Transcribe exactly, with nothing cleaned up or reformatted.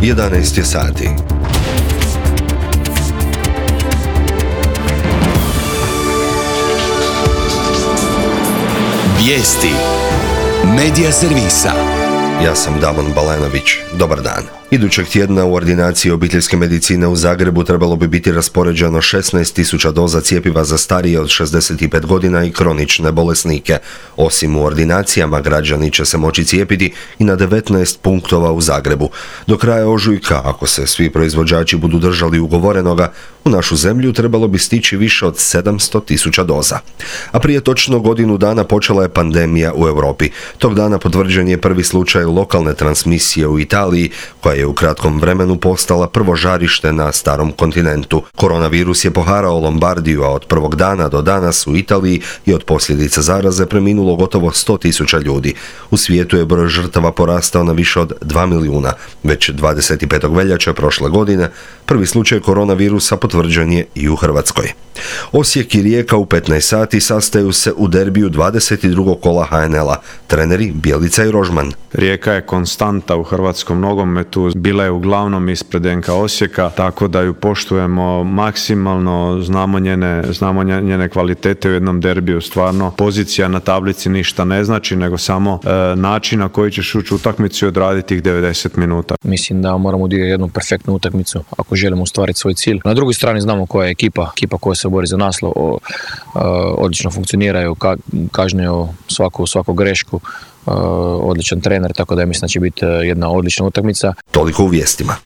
jedanaest je sati. Vijesti Medija servisa. Ja sam Damon Balenović. Dobar dan. Idućeg tjedna u ordinaciji obiteljske medicine u Zagrebu trebalo bi biti raspoređeno šesnaest tisuća doza cjepiva za starije od šezdeset pet godina i kronične bolesnike. Osim u ordinacijama, građani će se moći cijepiti i na devetnaest punktova u Zagrebu. Do kraja ožujka, ako se svi proizvođači budu držali ugovorenoga, u našu zemlju trebalo bi stići više od sedamsto tisuća doza. A prije točno godinu dana počela je pandemija u Europi. Tog dana potvrđen je prvi slučaj lokalne transmisije u Italiji, koja je u kratkom vremenu postala prvo žarište na starom kontinentu. Koronavirus je poharao Lombardiju, a od prvog dana do danas u Italiji je od posljedica zaraze preminulo gotovo sto tisuća ljudi. U svijetu je broj žrtava porastao na više od dva milijuna. Već dvadeset petog veljače prošle godine prvi slučaj koronavirusa potvrđen je i u Hrvatskoj. Osijek i Rijeka u petnaest sati sastaju se u derbiju dvadeset drugog kola ha en el-a. Treneri Bjelica i Rožman. Rijeka je konstanta u hrvatskom nogometu, bila je uglavnom ispred en ka Osijeka, tako da ju poštujemo maksimalno, znamo njene, znamo njene kvalitete u jednom derbiju. Stvarno, pozicija na tablici ništa ne znači, nego samo e, način na koji ćeš ući u utakmicu i odraditi tih devedeset minuta. Mislim da moramo odigrati jednu perfektnu utakmicu ako želimo ostvariti svoj cilj. Na drugoj strani znamo koja je ekipa, ekipa koja se bori za naslov, o, o, odlično funkcioniraju, ka, kažnjaju svaku, svaku grešku. Uh, odličan trener, tako da ja mislim da će biti jedna odlična utakmica. Toliko u vijestima.